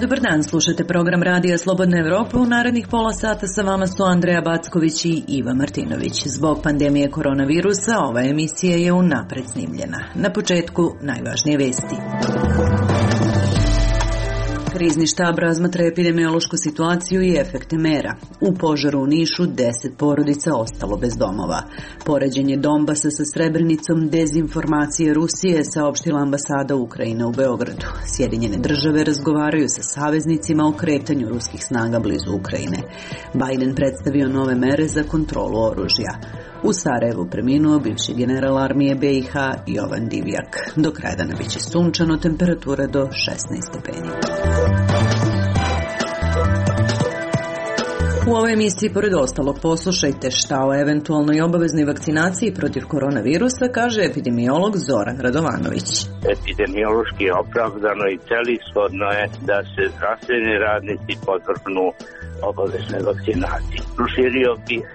Dobar dan, slušate program Radija Slobodna Evropa. U narednih pola sata sa vama su Andreja Backović i Iva Martinović. Zbog pandemije koronavirusa ova emisija je unapred snimljena. Na početku najvažnije vesti. Krizni štab razmatra epidemiološku situaciju i efekte mera. U požaru u Nišu 10 porodica ostalo bez domova. Poređenje Donbasa sa Srebrenicom, dezinformacije Rusije, saopštila ambasada Ukrajine u Beogradu. Sjedinjene države razgovaraju sa saveznicima o kretanju ruskih snaga blizu Ukrajine. Biden predstavio nove mere za kontrolu oružja. U Sarajevu preminuo bivši general armije BiH Jovan Divjak. Do kraja dana biće sunčano, temperatura do 16 stepeni. U ovoj emisiji, pored ostalog, poslušajte šta o eventualnoj obaveznoj vakcinaciji protiv koronavirusa kaže epidemiolog Zoran Radovanović. Epidemiološki je opravdano i celishodno je da se zdravstveni radnici podvrgnu obaveznoj vakcinaciji. Proširio bih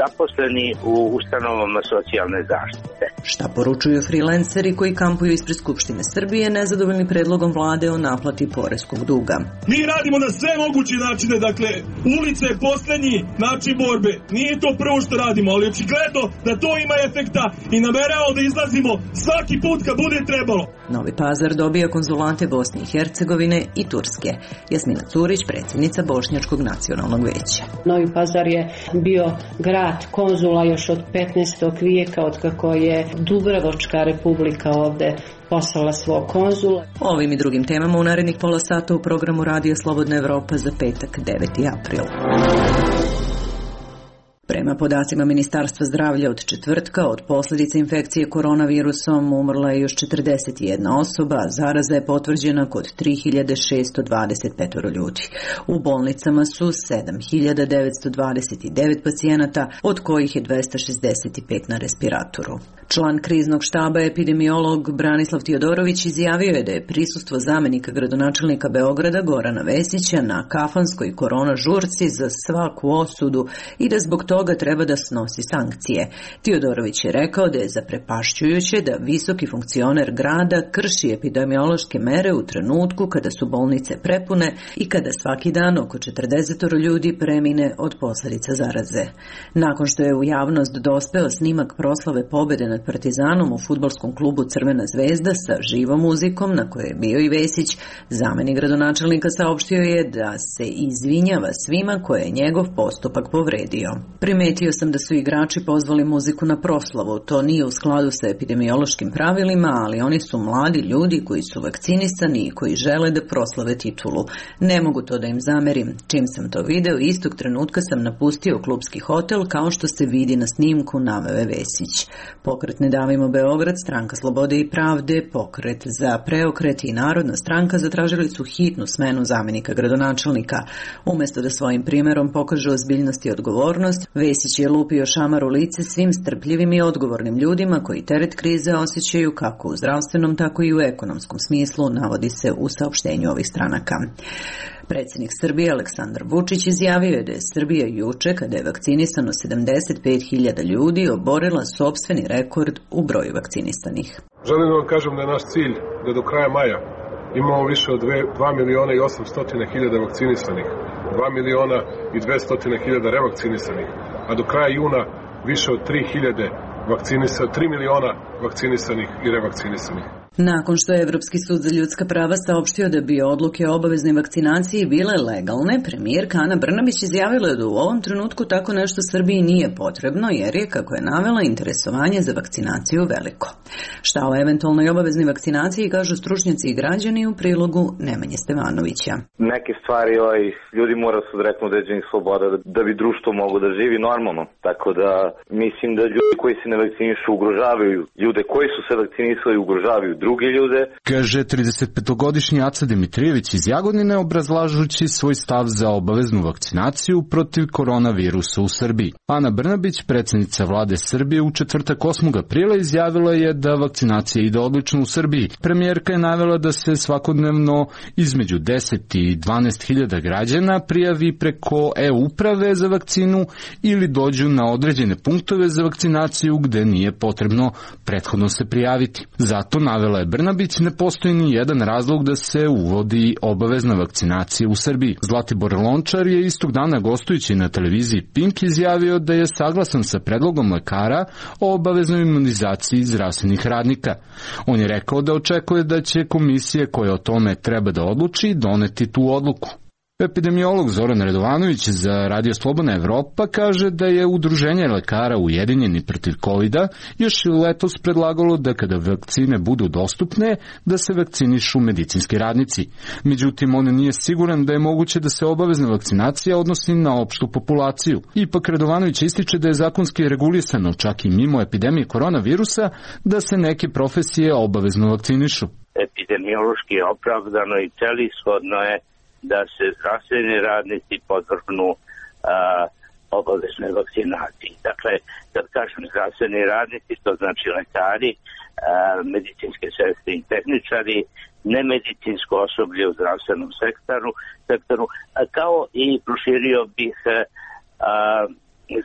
zaposleni u ustanovama socijalne zaštite. Šta poručuju frilanceri koji kampuju ispred Skupštine Srbije nezadovoljni predlogom vlade o naplati poreskog duga? Mi radimo na sve moguće načine, dakle, ulica je poslednji način borbe. Nije to prvo što radimo, ali očigledno da to ima efekta i nameravamo da izlazimo svaki put kad bude trebalo. Novi Pazar dobija konzulante Bosne i Hercegovine i Turske. Jasmina Curić, predsjednica Bošnjačkog nacionalnog veća. Novi Pazar je bio grad konzula još od 15. vijeka, od kako je Dubrovačka republika ovde poslala svog konzula. Ovim i drugim temama u narednih pola sata u programu Radija Slobodna Evropa za petak 9. april. Prema podacima Ministarstva zdravlja od četvrtka, od posljedica infekcije koronavirusom umrla je još 41 osoba, a zaraza je potvrđena kod 3625 ljudi. U bolnicama su 7929 pacijenata, od kojih je 265 na respiratoru. Član kriznog štaba epidemiolog Branislav Tiodorović izjavio je da je prisustvo zamenika gradonačelnika Beograda Gorana Vesića na kafanskoj korona žurci za svaku osudu i da zbog toga treba da snosi sankcije. Tiodorović je rekao da je zaprepašćujuće da visoki funkcioner grada krši epidemiološke mere u trenutku kada su bolnice prepune i kada svaki dan oko 40 ljudi premine od posljedica zaraze. Nakon što je u javnost dospeo snimak proslave pobede nad Partizanom u fudbalskom klubu Crvena zvezda sa živom muzikom na kojoj je bio i Vesić, zamenik gradonačelnika saopštio je da se izvinjava svima koje je njegov postupak povredio. Primetio sam da su igrači pozvali muziku na proslavu. To nije u skladu sa epidemiološkim pravilima, ali oni su mladi ljudi koji su vakcinisani i koji žele da proslave titulu. Ne mogu to da im zamerim. Čim sam to video, istog trenutka sam napustio klubski hotel, kao što se vidi na snimku, naveo je Vesić. Pokret Ne davimo Beograd, Stranka slobode i pravde, Pokret za preokret i Narodna stranka zatražili su hitnu smenu zamenika gradonačelnika. Umjesto da svojim primjerom pokažu ozbiljnost i odgovornost, Vesić je lupio šamar u lice svim strpljivim i odgovornim ljudima koji teret krize osjećaju kako u zdravstvenom, tako i u ekonomskom smislu, navodi se u saopštenju ovih stranaka. Predsjednik Srbije Aleksandar Vučić izjavio je da je Srbija juče, kada je vakcinisano 75.000 ljudi, oborila sopstveni rekord u broju vakcinisanih. Želim da vam kažem da je naš cilj da do kraja maja imamo više od 2.800.000 vakcinisanih, 2.200.000 revakcinisanih, a do kraja juna više od 3 miliona vakcinisanih i revakcinisanih. Nakon što je Evropski sud za ljudska prava saopštio da bi odluke o obaveznoj vakcinaciji bile legalne, premijerka Ana Brnabić izjavila je da u ovom trenutku tako nešto Srbiji nije potrebno, jer je, kako je navela, interesovanje za vakcinaciju veliko. Šta o eventualnoj obaveznoj vakcinaciji kažu stručnjaci i građani u prilogu Nemanje Stevanovića. Neke stvari ljudi moraju se odreknuti određenih sloboda da bi društvo moglo da živi normalno. Tako da mislim da ljudi koji se ne vakcinišu ugrožavaju ljude koji su se vakcinisali, ugrožavaju druge ljude. Kaže 35-godišnji Aca Dimitrijević iz Jagodine, obrazlažući svoj stav za obaveznu vakcinaciju protiv koronavirusa u Srbiji. Ana Brnabić, predsjednica vlade Srbije, u četvrtak 8. aprila izjavila je da vakcinacija ide odlično u Srbiji. Premijerka je navela da se svakodnevno između 10 i 12.000 građana prijavi preko e-uprave za vakcinu ili dođu na određene punktove za vakcinaciju gde nije potrebno prethodno se prijaviti. Zato navela navela je Brnabić, ne postoji ni jedan razlog da se uvodi obavezna vakcinacija u Srbiji. Zlatibor Lončar je istog dana gostujući na televiziji Pink izjavio da je saglasan sa predlogom lekara o obaveznoj imunizaciji zdravstvenih radnika. On je rekao da očekuje da će komisije koje o tome treba da odluči doneti tu odluku. Epidemiolog Zoran Radovanović za Radio Slobodna Evropa kaže da je Udruženje lekara Ujedinjeni protiv COVID-a još letos predlagalo da kada vakcine budu dostupne, da se vakcinišu medicinski radnici. Međutim, on nije siguran da je moguće da se obavezna vakcinacija odnosi na opštu populaciju. Ipak Radovanović ističe da je zakonski regulisano, čak i mimo epidemije koronavirusa, da se neke profesije obavezno vakcinišu. Epidemiološki je opravdano i celishodno je da se zdravstveni radnici podvrgnu obaveznoj vakcinaciji. Dakle, kad kažem zdravstveni radnici, to znači lekari, medicinske sestre i tehničari, nemedicinsko osoblje u zdravstvenom sektoru, kao i proširio bih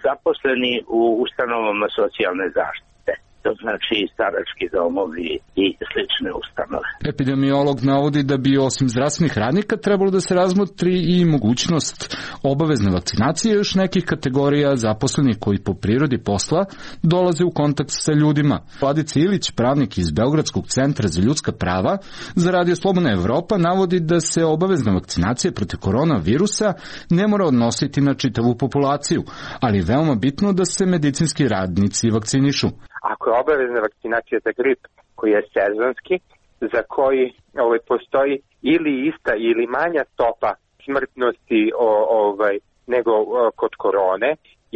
zaposleni u ustanovama socijalne zaštite. To znači starački domovi i slične ustanove. Epidemiolog navodi da bi osim zdravstvenih radnika trebalo da se razmotri i mogućnost obavezne vakcinacije još nekih kategorija zaposlenih koji po prirodi posla dolaze u kontakt sa ljudima. Vladica Ilić, pravnik iz Beogradskog centra za ljudska prava, za Radio Slobodna Evropa navodi da se obavezna vakcinacija protiv koronavirusa ne mora odnositi na čitavu populaciju, ali je veoma bitno da se medicinski radnici vakcinišu. Ako je obavezna vakcinacija za grip koji je sezonski, za koji postoji ili ista ili manja stopa smrtnosti nego kod korone,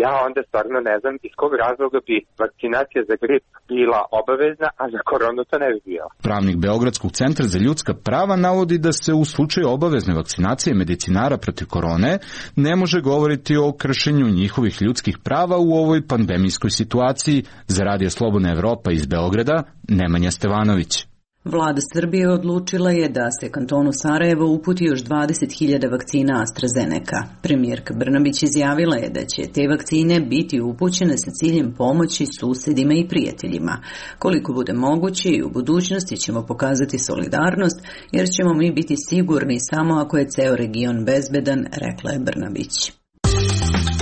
ja onda stvarno ne znam iz kog razloga bi vakcinacija za grip bila obavezna, a za koronu to ne bi bila. Pravnik Beogradskog centra za ljudska prava navodi da se u slučaju obavezne vakcinacije medicinara protiv korone ne može govoriti o kršenju njihovih ljudskih prava u ovoj pandemijskoj situaciji. Za Radio Slobodna Evropa iz Beograda, Nemanja Stevanović. Vlada Srbije odlučila je da se kantonu Sarajevo uputi još 20.000 vakcina AstraZeneca. Premijerka Brnabić izjavila je da će te vakcine biti upućene sa ciljem pomoći susedima i prijateljima. Koliko bude moguće i u budućnosti ćemo pokazati solidarnost, jer ćemo mi biti sigurni samo ako je ceo region bezbedan, rekla je Brnabić.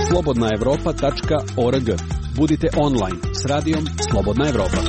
slobodnaevropa.org. Budite online s radijom Slobodna Evropa.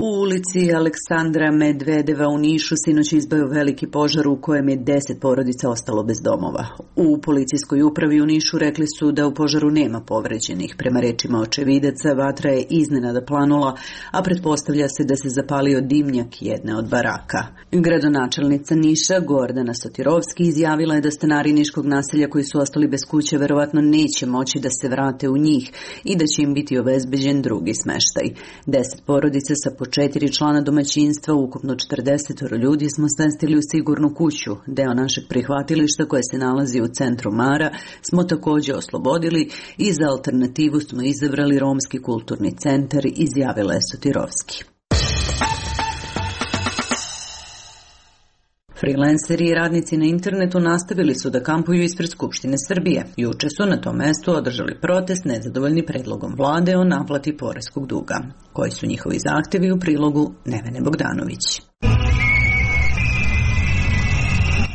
U ulici Aleksandra Medvedeva u Nišu sinoć izbio veliki požar u kojem je 10 porodica ostalo bez domova. U policijskoj upravi u Nišu rekli su da u požaru nema povređenih. Prema rečima očevidaca, vatra je iznenada planula, a pretpostavlja se da se zapalio dimnjak jedne od baraka. Gradonačelnica Niša, Gordana Sotirovski, izjavila je da stanari niškog naselja koji su ostali bez kuće verovatno neće moći da se vrate u njih i da će im biti obezbeđen drugi smeštaj. 10 porodica sa po 4 člana domaćinstva, ukupno 40 ljudi smo smestili u sigurnu kuću. Deo našeg prihvatilišta koje se nalazi u centru Mara smo također oslobodili i za alternativu smo izabrali Romski kulturni centar, izjavila je Sotirovski. Freelanceri i radnici na internetu nastavili su da kampuju ispred Skupštine Srbije. Juče su na tom mestu održali protest nezadovoljni predlogom vlade o naplati poreskog duga. Koji su njihovi zahtevi u prilogu Nevene Bogdanović.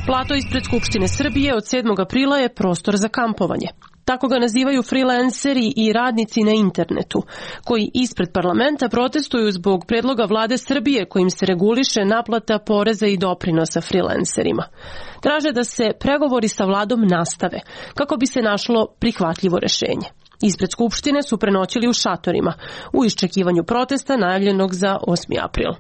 Plato ispred Skupštine Srbije od 7. aprila je prostor za kampovanje. Tako ga nazivaju freelanceri i radnici na internetu, koji ispred parlamenta protestuju zbog predloga vlade Srbije kojim se reguliše naplata poreza i doprinosa freelancerima. Traže da se pregovori sa vladom nastave, kako bi se našlo prihvatljivo rešenje. Ispred Skupštine su prenoćili u šatorima, u iščekivanju protesta najavljenog za 8. april.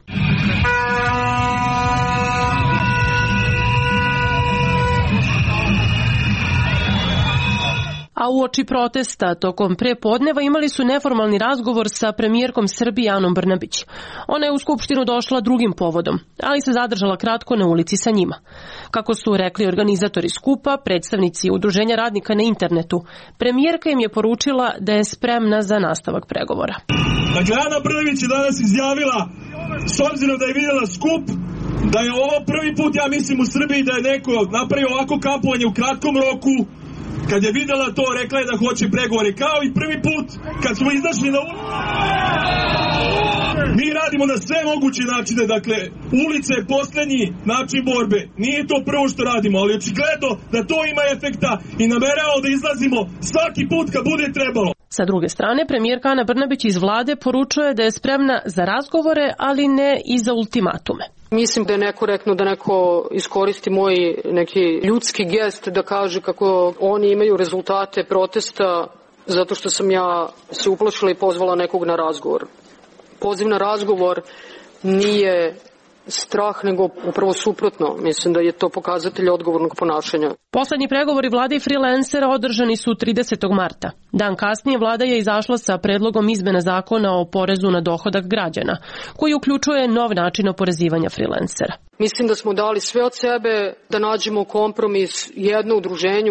A uoči protesta tokom prepodneva imali su neformalni razgovor sa premijerkom Srbije Anom Brnabić. Ona je u Skupštinu došla drugim povodom, ali se zadržala kratko na ulici sa njima. Kako su rekli organizatori skupa, predstavnici Udruženja radnika na internetu, premijerka im je poručila da je spremna za nastavak pregovora. Dakle, Ana Brnabić je danas izjavila, s obzirom da je vidjela skup, da je ovo prvi put, ja mislim, u Srbiji da je neko napravio ovako kampovanje u kratkom roku. Kad je vidjela to, rekla je da hoće pregovore, kao i prvi put kad smo izašli na ulicu. Mi radimo na sve moguće načine, dakle, ulica je poslednji način borbe. Nije to prvo što radimo, ali očigledno da to ima efekta i nameravamo da izlazimo svaki put kad bude trebalo. Sa druge strane, premijerka Ana Brnabić iz vlade poručuje da je spremna za razgovore, ali ne i za ultimatume. Mislim da je nekorektno da neko iskoristi moj neki ljudski gest da kaže kako oni imaju rezultate protesta zato što sam ja se uplašila i pozvala nekog na razgovor. Poziv na razgovor nije strah, nego upravo suprotno. Mislim da je to pokazatelj odgovornog ponašanja. Poslednji pregovori vlade i freelancera održani su 30. marta. Dan kasnije vlada je izašla sa predlogom izmena zakona o porezu na dohodak građana, koji uključuje nov način oporezivanja freelancera. Mislim da smo dali sve od sebe da nađemo kompromis. Jedno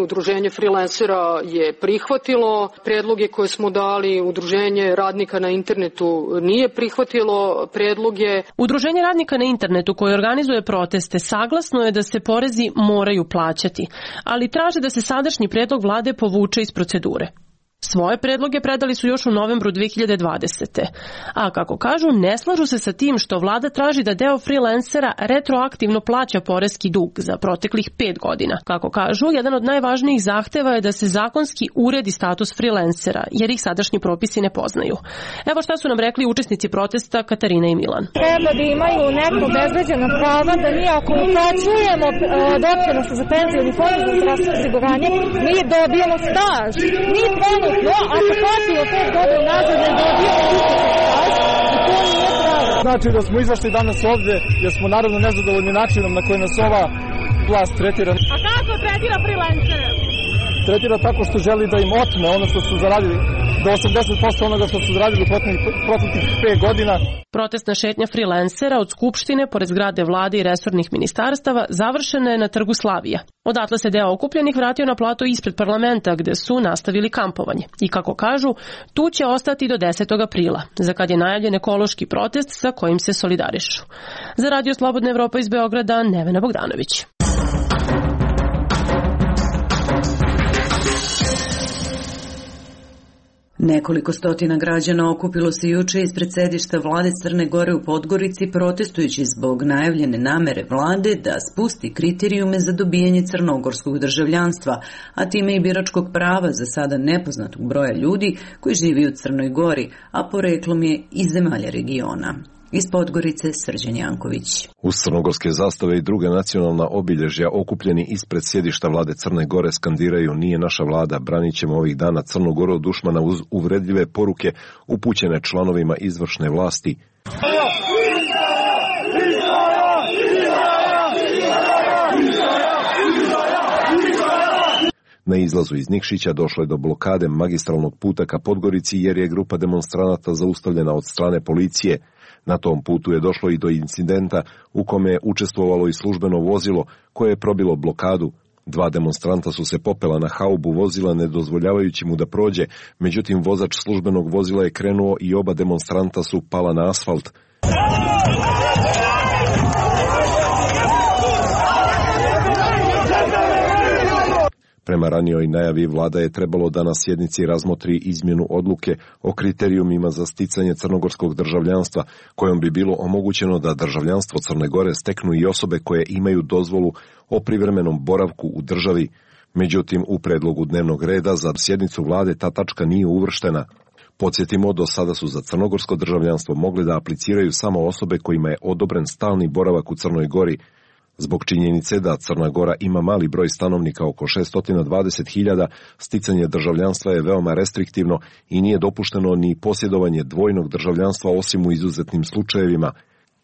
udruženje freelancera je prihvatilo predloge koje smo dali, udruženje radnika na internetu nije prihvatilo predloge. Udruženje radnika na internetu koje organizuje proteste saglasno je da se porezi moraju plaćati, ali traže da se sadašnji predlog vlade povuče iz procedure. Svoje predloge predali su još u novembru 2020. A kako kažu, ne slažu se sa tim što vlada traži da deo freelancera retroaktivno plaća poreski dug za proteklih 5 godina. Kako kažu, jedan od najvažnijih zahteva je da se zakonski uredi status freelancera, jer ih sadašnji propisi ne poznaju. Evo šta su nam rekli učesnici protesta Katarina i Milan. Treba da imaju neko obezbeđena prava, da mi ako uplaćujemo doprinose za penzioni fond za zdravstveno osiguranje, mi dobijemo staž. Mi trenutno, ako platimo 5 godina nazad, ne dobijemo staž i to nije pravo. Znači da smo izašli danas ovde jer smo naravno nezadovoljni načinom na koji nas ova vlast tretira. A kako tretira freelancere? Tretira tako što želi da im otme ono što su zaradili, do 80% onoga što su zaradili proteklih 5 godina. Protestna šetnja freelancera od Skupštine, pored zgrade vlade i resornih ministarstava, završena je na Trgu Slavija. Odatle se deo okupljenih vratio na plato ispred parlamenta, gde su nastavili kampovanje. I kako kažu, tu će ostati do 10. aprila, za kad je najavljen ekološki protest sa kojim se solidarišu. Za Radio Slobodna Evropa iz Beograda, Nevena Bogdanović. Nekoliko stotina građana okupilo se juče ispred sedišta vlade Crne Gore u Podgorici protestujući zbog najavljene namere vlade da spusti kriterijume za dobijanje crnogorskog državljanstva, a time i biračkog prava za sada nepoznatog broja ljudi koji živi u Crnoj Gori, a poreklom je iz zemalja regiona. Iz Podgorice Srđan Janković. Uz crnogorske zastave i druga nacionalna obilježja okupljeni ispred sjedišta vlade Crne Gore skandiraju "Nije naša vlada, branit ćemo ovih dana Crnu Goru od dušmana" uz uvredljive poruke upućene članovima izvršne vlasti. Na izlazu iz Nikšića došlo je do blokade magistralnog puta ka Podgorici jer je grupa demonstranata zaustavljena od strane policije. Na tom putu je došlo i do incidenta u kome je učestvovalo i službeno vozilo koje je probilo blokadu. 2 demonstranta su se popela na haubu vozila ne dozvoljavajući mu da prođe, međutim vozač službenog vozila je krenuo i oba demonstranta su pala na asfalt. Prema ranijoj najavi vlada je trebalo da na sjednici razmotri izmjenu odluke o kriterijumima za sticanje crnogorskog državljanstva, kojom bi bilo omogućeno da državljanstvo Crne Gore steknu i osobe koje imaju dozvolu o privremenom boravku u državi. Međutim, u predlogu dnevnog reda za sjednicu vlade ta tačka nije uvrštena. Podsjetimo, do sada su za crnogorsko državljanstvo mogli da apliciraju samo osobe kojima je odobren stalni boravak u Crnoj Gori. Zbog činjenice da Crna Gora ima mali broj stanovnika, oko 620.000, sticanje državljanstva je veoma restriktivno i nije dopušteno ni posjedovanje dvojnog državljanstva osim u izuzetnim slučajevima.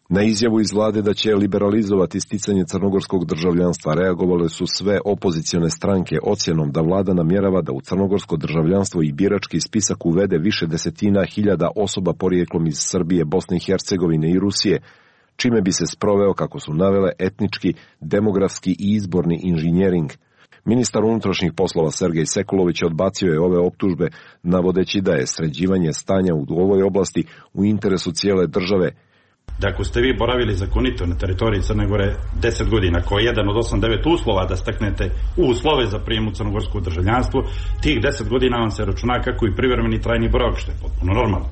Na izjavu iz vlade da će liberalizovati sticanje crnogorskog državljanstva reagovale su sve opozicione stranke ocjenom da vlada namjerava da u crnogorsko državljanstvo i birački spisak uvede više desetina hiljada osoba porijeklom iz Srbije, Bosne i Hercegovine i Rusije, čime bi se sproveo, kako su navele, etnički, demografski i izborni inženjering. Ministar unutrašnjih poslova Sergej Sekulović odbacio je ove optužbe, navodeći da je sređivanje stanja u ovoj oblasti u interesu cijele države. Da ako ste vi boravili zakonito na teritoriji Crne Gore 10 godina, koji je jedan od 8-9 uslova da steknete uslove za prijem u crnogorsko državljanstvo, tih 10 godina vam se računa kako i privremeni trajni boravak, što je potpuno normalno.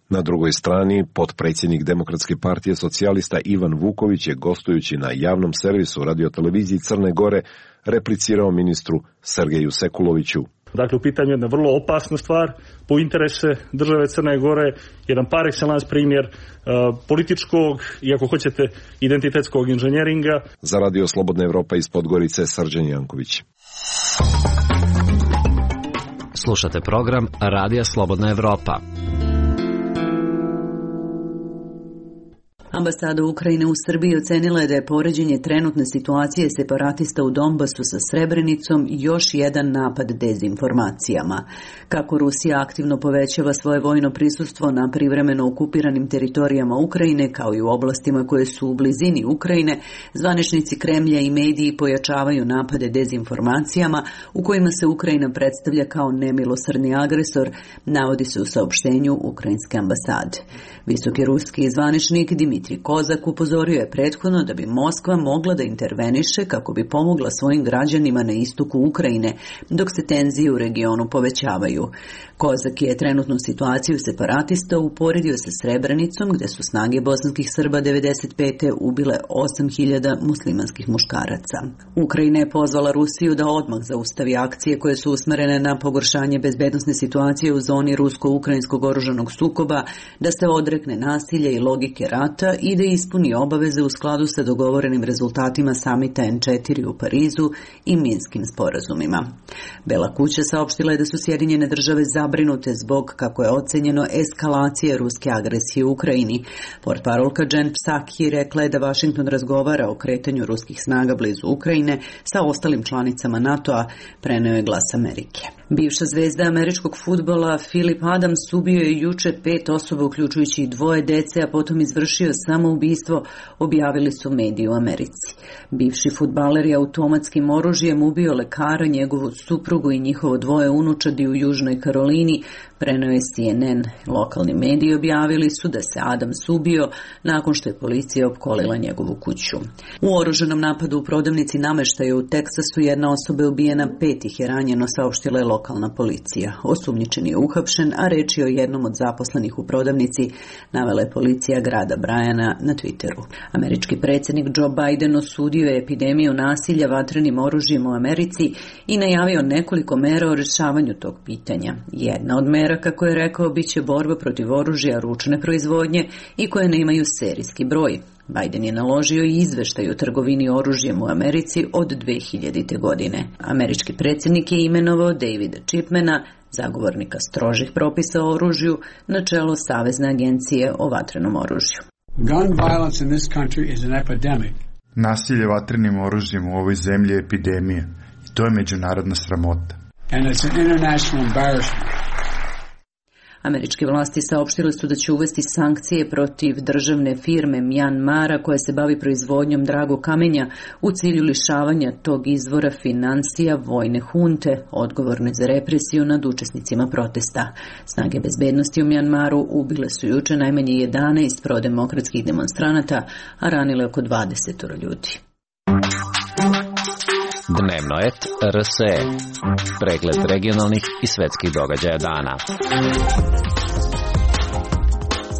Na drugoj strani, potpredsjednik Demokratske partije socijalista Ivan Vuković je gostujući na javnom servisu radioteleviziji Crne Gore replicirao ministru Sergeju Sekuloviću. Dakle, u pitanju je jedna vrlo opasna stvar po interese države Crne Gore, jedan par excellence primjer političkog i, ako hoćete, identitetskog inženjeringa. Za Radio Slobodna Evropa iz Podgorice, Srđan Janković. Slušate program Radija Slobodna Evropa. Ambasada Ukrajine u Srbiji ocenila je da je poređenje trenutne situacije separatista u Donbasu sa Srebrenicom još jedan napad dezinformacijama. Kako Rusija aktivno povećava svoje vojno prisustvo na privremeno okupiranim teritorijama Ukrajine, kao i u oblastima koje su u blizini Ukrajine, zvaničnici Kremlja i mediji pojačavaju napade dezinformacijama u kojima se Ukrajina predstavlja kao nemilosrdni agresor, navodi se u saopštenju Ukrajinske ambasade. Visoki ruski zvaničnik Dimitrij Kozak upozorio je prethodno da bi Moskva mogla da interveniše kako bi pomogla svojim građanima na istoku Ukrajine, dok se tenzije u regionu povećavaju. Kozak je trenutnu situaciju separatista uporedio sa Srebrenicom, gde su snage bosanskih Srba 95. ubile 8.000 muslimanskih muškaraca. Ukrajina je pozvala Rusiju da odmah zaustavi akcije koje su usmerene na pogoršanje bezbednosne situacije u zoni rusko-ukrajinskog oružanog sukoba, da se odrekne nasilja i logike rata i da ispuni obaveze u skladu sa dogovorenim rezultatima samita N4 u Parizu i Minskim sporazumima. Bela kuća saopštila je da su Sjedinjene države zabrinute zbog, kako je ocenjeno, eskalacije ruske agresije u Ukrajini. Portparolka Jen Psaki rekla je da Vašington razgovara o kretanju ruskih snaga blizu Ukrajine sa ostalim članicama NATO-a, preneo je Glas Amerike. Bivša zvezda američkog fudbala Philip Adams ubio je juče 5 osoba, uključujući i 2 dece, a potom izvršio samoubistvo, objavili su mediji u Americi. Bivši fudbaler je automatskim oružjem ubio lekara, njegovu suprugu i njihovo 2 unučadi u Južnoj Karolini, preneo je CNN. Lokalni mediji objavili su da se Adams ubio nakon što je policija opkolila njegovu kuću. U oružanom napadu u prodavnici nameštaja u Teksasu jedna osoba je ubijena, 5 ih je ranjeno, saopštila je lokalna policija. Osumnjičeni je uhapšen, a reč je o jednom od zaposlenih u prodavnici, navela je policija grada Bryana na Twitteru. Američki predsjednik Joe Biden osudio je epidemiju nasilja vatrenim oružjem u Americi i najavio nekoliko mera o rješavanju tog pitanja. Jedna od mera, kako je rekao, bit će borba protiv oružja ručne proizvodnje i koje nemaju serijski broj. Biden je naložio i izveštaj o trgovini oružjem u Americi od 2000. godine. Američki predsjednik je imenovao Davida Chipmana, zagovornika strožih propisa o oružju, na čelo Savezne agencije o vatrenom oružju. Gun violence in this country is an epidemic. Nasilje vatrenim oružjem u ovoj zemlji je epidemija i to je međunarodna sramota. And it's an international embarrassment. Američke vlasti saopštile su da će uvesti sankcije protiv državne firme Mjanmara koja se bavi proizvodnjom dragog kamenja u cilju lišavanja tog izvora financija vojne hunte, odgovorne za represiju nad učesnicima protesta. Snage bezbednosti u Mjanmaru ubile su juče najmanje 11 prodemokratskih demonstranata, a ranile oko 20 ljudi. Dnevno et RSE. Pregled regionalnih i svetskih događaja dana.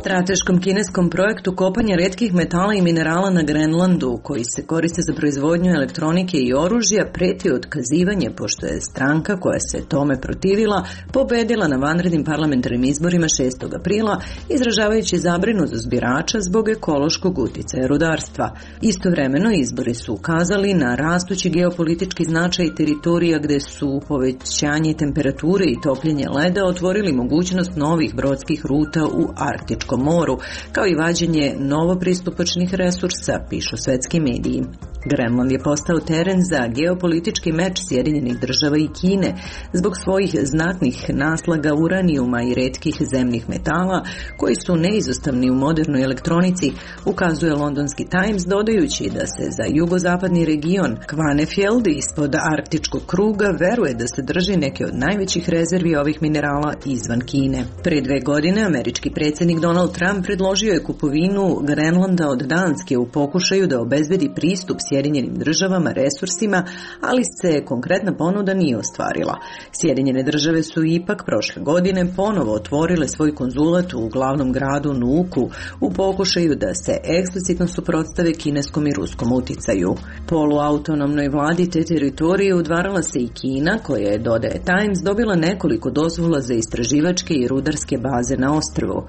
Strateškom kineskom projektu kopanja retkih metala i minerala na Grenlandu, koji se koriste za proizvodnju elektronike i oružja, preti otkazivanje, pošto je stranka koja se tome protivila pobedila na vanrednim parlamentarnim izborima 6. aprila, izražavajući zabrinutost birača zbog ekološkog uticaja rudarstva. Istovremeno izbori su ukazali na rastući geopolitički značaj teritorija gde su povećanje temperature i topljenje leda otvorili mogućnost novih brodskih ruta u Arktičkom moru, kao i vađenje novopristupačnih resursa, pišu svetski mediji. Grenland je postao teren za geopolitički meč Sjedinjenih država i Kine zbog svojih znatnih naslaga uranijuma i retkih zemnih metala koji su neizostavni u modernoj elektronici, ukazuje londonski Times, dodajući da se za jugozapadni region Kvanefjeld ispod Arktičkog kruga veruje da se drži neke od najvećih rezervi ovih minerala izvan Kine. Pre 2 godine američki predsjednik Donald Trump predložio je kupovinu Grenlanda od Danske u pokušaju da obezbedi pristup Sjedinjenih Sjedinjenim državama resursima, ali se konkretna ponuda nije ostvarila. Sjedinjene države su ipak prošle godine ponovo otvorile svoj konzulat u glavnom gradu Nuuku u pokušaju da se eksplicitno suprotstave kineskom i ruskom uticaju. Poluautonomnoj vladi te teritorije udvarala se i Kina, koja je, dodaje Times, dobila nekoliko dozvola za istraživačke i rudarske baze na ostrvu.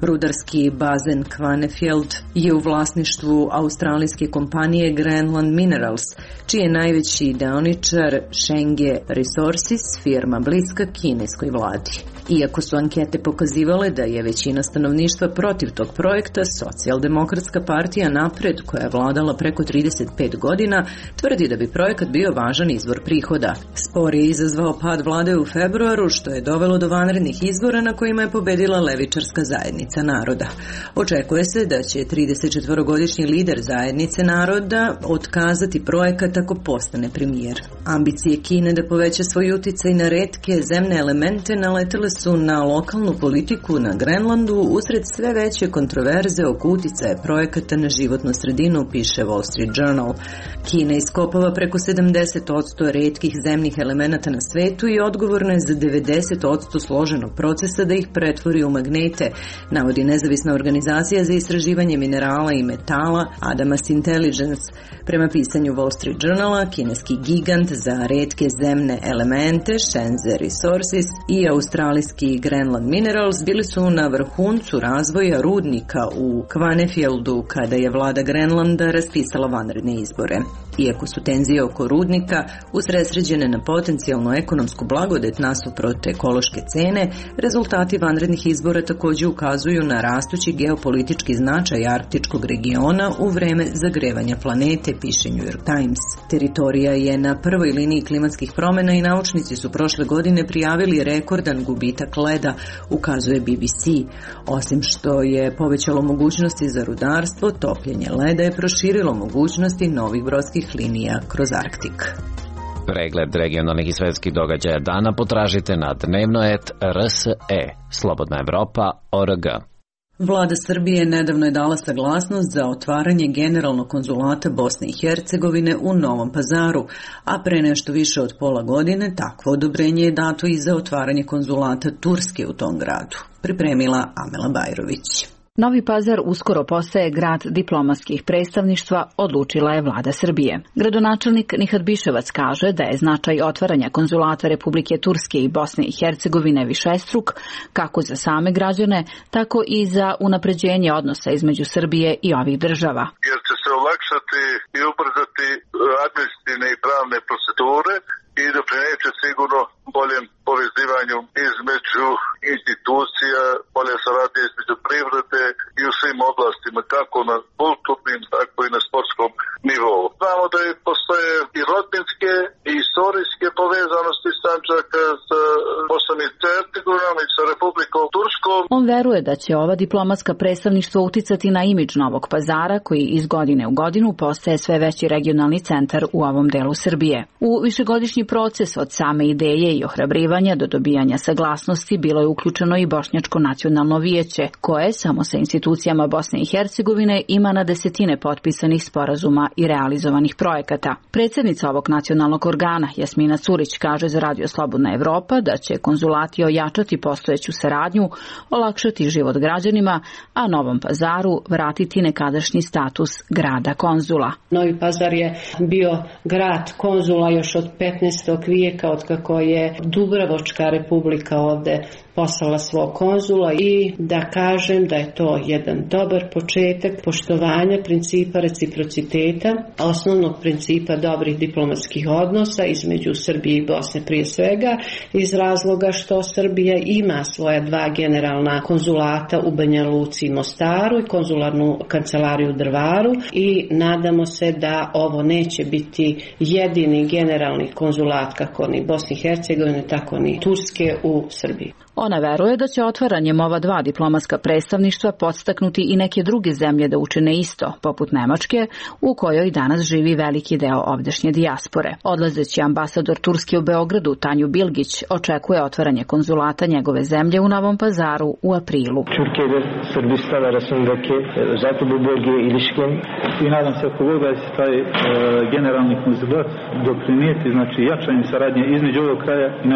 Rudarski bazen Kvanefjeld je u vlasništvu australijske kompanije Granland Minerals, čiji je najveći deoničar Shenge Resources, firma bliska kineskoj vladi. Iako su ankete pokazivale da je većina stanovništva protiv tog projekta, Socijaldemokratska partija Napred, koja je vladala preko 35 godina, tvrdi da bi projekat bio važan izvor prihoda. Spor je izazvao pad vlade u februaru, što je dovelo do vanrednih izbora na kojima je pobedila levičarska zajednica naroda. Očekuje se da će 34-godišnji lider zajednice naroda otkazati projekat ako postane premijer. Ambicije Kine da poveća svoj uticaj na retke zemne elemente naletele su na lokalnu politiku na Grenlandu usred sve veće kontroverze oko uticaja projekata na životnu sredinu, piše Wall Street Journal. Kina iskopava preko 70% retkih zemnih elemenata na svetu i odgovorna je za 90% složenog procesa da ih pretvori u magnete, navodi nezavisna organizacija za istraživanje minerala i metala Adamas Intelligence. Prema pisanju Wall Street Journala, kineski gigant za retke zemne elemente Shenzhen Resources i australijski Granland Minerals bili su na vrhuncu razvoja rudnika u Kvanefjeldu kada je vlada Grenlanda raspisala vanredne izbore. Iako su tenzije oko rudnika usredsređene na potencijalno ekonomsku blagodet nasuprot ekološke cene, rezultati vanrednih izbora također ukazuju na rastući geopolitički značaj arktičkog regiona u vreme zagrevanja planete, piše New York Times. Teritorija je na prvoj liniji klimatskih promjena i naučnici su prošle godine prijavili rekordan gubitak leda, ukazuje BBC. Osim što je povećalo mogućnosti za rudarstvo, topljenje leda je proširilo mogućnosti novih brodskih linija kroz Arktik. Pregled regionalnih i svetskih događaja dana potražite na dnevno.rs.e, Slobodna Evropa.org. Vlada Srbije nedavno je dala saglasnost za otvaranje generalnog konzulata Bosne i Hercegovine u Novom Pazaru, a pre nešto više od pola godine takvo odobrenje je dato i za otvaranje konzulata Turske u tom gradu. Pripremila Amela Bajrović. Novi Pazar uskoro postaje grad diplomatskih predstavništva, odlučila je vlada Srbije. Gradonačelnik Nihat Biševac kaže da je značaj otvaranja konzulata Republike Turske i Bosne i Hercegovine višestruk, kako za same građane, tako i za unapređenje odnosa između Srbije i ovih država. Jer će se olakšati i ubrzati administrativne i pravne procedure i doprineće sigurno boljem povezivanju između institucija, bolje saradnje između privrede i u svim oblastima, kako na kulturnim, tako i na sportskom nivou. Znamo da postoje i rodbinske i istorijske povezanosti Sandžaka sa Bosnom i Hercegovinom i sa Republikom Turskom. On veruje da će ova diplomatska predstavništva uticati na imidž Novog Pazara, koji iz godine u godinu postaje sve veći regionalni centar u ovom delu Srbije. U višegodišnji proces od same ideje i ohrabrivanja do dobijanja saglasnosti bilo je uključeno i Bošnjačko nacionalno vijeće, koje samo sa institucijama Bosne i Hercegovine ima na desetine potpisanih sporazuma i realizovanih projekata. Predsjednica ovog nacionalnog organa, Jasmina Curić, kaže za Radio Slobodna Evropa da će konzulati ojačati postojeću saradnju, olakšati život građanima, a Novom Pazaru vratiti nekadašnji status grada konzula. Novi Pazar je bio grad konzula još od 15. vijeka, otkako je Dubrovačka republika ovde poslala svog konzula, i da kažem da je to jedan dobar početak poštovanja principa reciprociteta, osnovnog principa dobrih diplomatskih odnosa između Srbije i Bosne prije svega, iz razloga što Srbija ima svoja dva generalna konzulata u Banja Luci i Mostaru i konzularnu kancelariju u Drvaru, i nadamo se da ovo neće biti jedini generalni konzulat kako ni Bosne i Hercegovine, tako ni Turske u Srbiji. Ona veruje da će otvaranjem ova dva diplomatska predstavništva podstaknuti i neke druge zemlje da učine isto, poput Nemačke, u kojoj danas živi veliki deo ovdašnje dijaspore. Odlazeći ambasador Turske u Beogradu, Tanju Bilgić, očekuje otvaranje konzulata njegove zemlje u Novom Pazaru pazaru u aprilu. Türkiye'de Sırbistan arasındaki zaten bu bölgeye ilişkin i nadam se ako Bog da će taj generalni konzulat doprinijeti, znači jačanje saradnje između ovog kraja i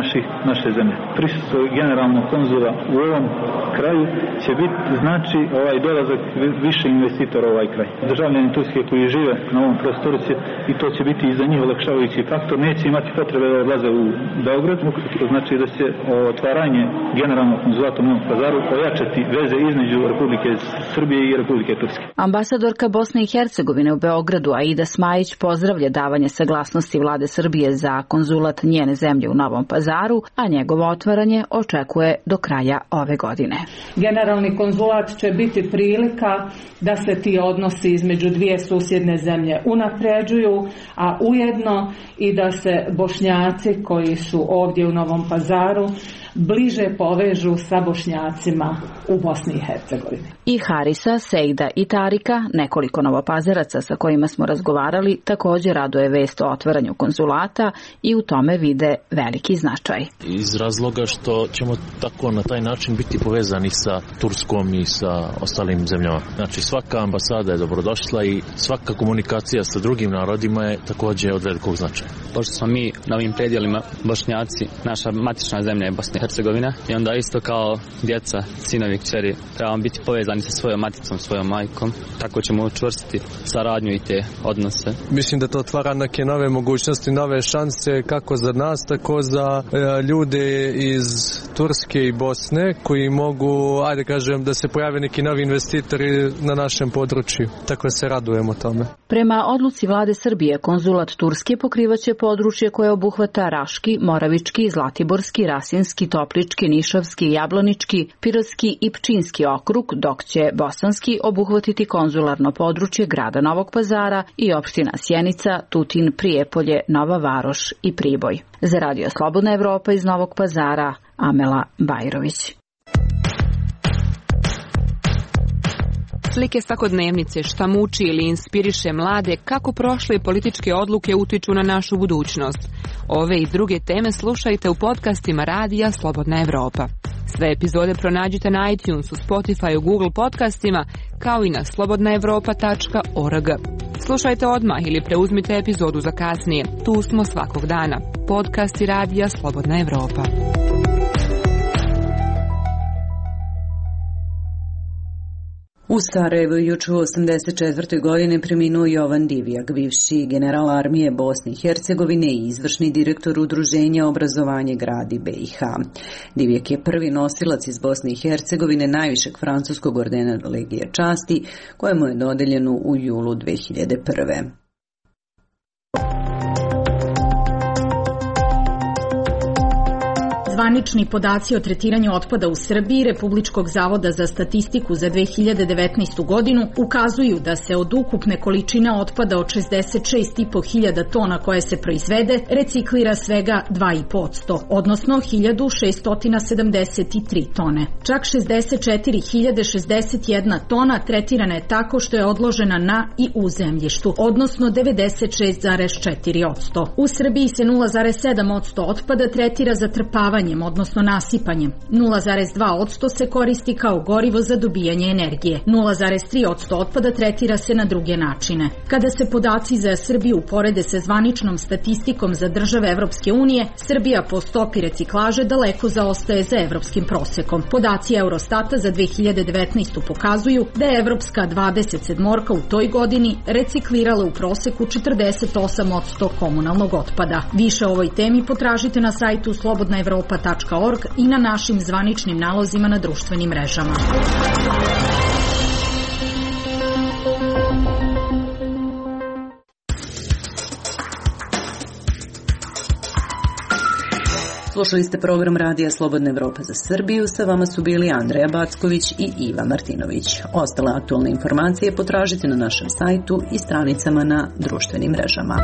naše zemlje. Prisustvo generalnog konzula u ovom kraju će biti znači dolazak više investitora u ovaj kraj. Državljani Turske koji žive na ovom prostoru će, i to će biti i za njih olakšavajući faktor, neće imati potrebe da odlaze u Beograd, znači da će otvaranje generalnog konzulata u Novom Pazaru ojačati veze između Republike Srbije i Republike Turske. Ambasadorka Bosne i Hercegovine u Beogradu Aida Smajić pozdravlja davanje saglasnosti vlade Srbije za konzulat njene zemlje u Novom Pazaru, a njegovo otvaranje očekuje do kraja ove godine. Generalni konzulat će biti prilika da se ti odnosi između dvije susjedne zemlje unapređuju, a ujedno i da se Bošnjaci koji su ovdje u Novom Pazaru bliže povežu sa Bošnjacima u Bosni i Hercegovini. I Harisa, Sejda i Tarika, nekoliko novopazaraca sa kojima smo razgovarali, također raduje vest o otvaranju konzulata i u tome vide veliki značaj. Iz razloga što ćemo tako na taj način biti povezani sa Turskom i sa ostalim zemljama. Znači svaka ambasada je dobrodošla i svaka komunikacija sa drugim narodima je također od velikog značaja. Pošto smo mi na ovim predjelima Bošnjaci, naša matična zemlja je Bosna i Hercegovina i onda isto kao djeca, sinovi, kćeri, trebamo biti povezani sa svojom maticom, svojom majkom. Tako ćemo učvrstiti saradnju i te odnose. Mislim da to otvara neke nove mogućnosti, nove šanse kako za nas, tako za ljude iz Turske i Bosne koji mogu, ajde kažem, da se pojave neki novi investitori na našem području. Tako se radujemo tome. Prema odluci vlade Srbije, konzulat Turske pokrivaće područje koje obuhvata Raški, Moravički, Zlatiborski, Rasinski, Toplički, Nišavski, Jablanički, Pirotski i Pčinski okrug, dok će Bosanski obuhvatiti konzularno područje grada Novog Pazara i opština Sjenica, Tutin, Prijepolje, Nova Varoš i Priboj. Za Radio Slobodna Evropa iz Novog Pazara, Amela Bajrović. Slike svakodnevnice, šta muči ili inspiriše mlade, kako prošle političke odluke utiču na našu budućnost. Ove i druge teme slušajte u podcastima Radija Slobodna Evropa. Sve epizode pronađite na iTunesu, Spotifyu, Google podcastima, kao i na slobodnaevropa.org. Slušajte odmah ili preuzmite epizodu za kasnije. Tu smo svakog dana. Podcasti Radija Slobodna Evropa. U Sarajevu juče u 84. godini preminuo Jovan Divjak, bivši general armije Bosne i Hercegovine i izvršni direktor Udruženja Obrazovanje gradi BiH. Divjak je prvi nosilac iz Bosne i Hercegovine najvišeg francuskog ordena Legije časti, kojemu je dodeljeno u julu 2001. Zvanični podaci o tretiranju otpada u Srbiji Republičkog zavoda za statistiku za 2019. godinu ukazuju da se od ukupne količine otpada od 66.500 tona koje se proizvede reciklira svega 2,5%, odnosno 1.673 tone. Čak 64.061 tona tretirana je tako što je odložena na i u zemljištu, odnosno 96,4%. U Srbiji se 0,7% otpada tretira zatrpavanjem, odnosno nasipanjem. 0,2% se koristi kao gorivo za dobijanje energije. 0,3% otpada tretira se na druge načine. Kada se podaci za Srbiju uporede sa zvaničnom statistikom za države Evropske unije, Srbija po stopi reciklaže daleko zaostaje za evropskim prosekom. Podaci Eurostata za 2019. pokazuju da je Evropska 27 u toj godini reciklirala u proseku 48% komunalnog otpada. Više o ovoj temi potražite na sajtu slobodnaevropa.org i na našim zvaničnim nalozima na društvenim mrežama. Slušali ste program Radija Slobodna Evropa za Srbiju. Sa vama su bili Andreja Backović i Iva Martinović. Ostale aktualne informacije potražite na našem sajtu i stranicama na društvenim mrežama.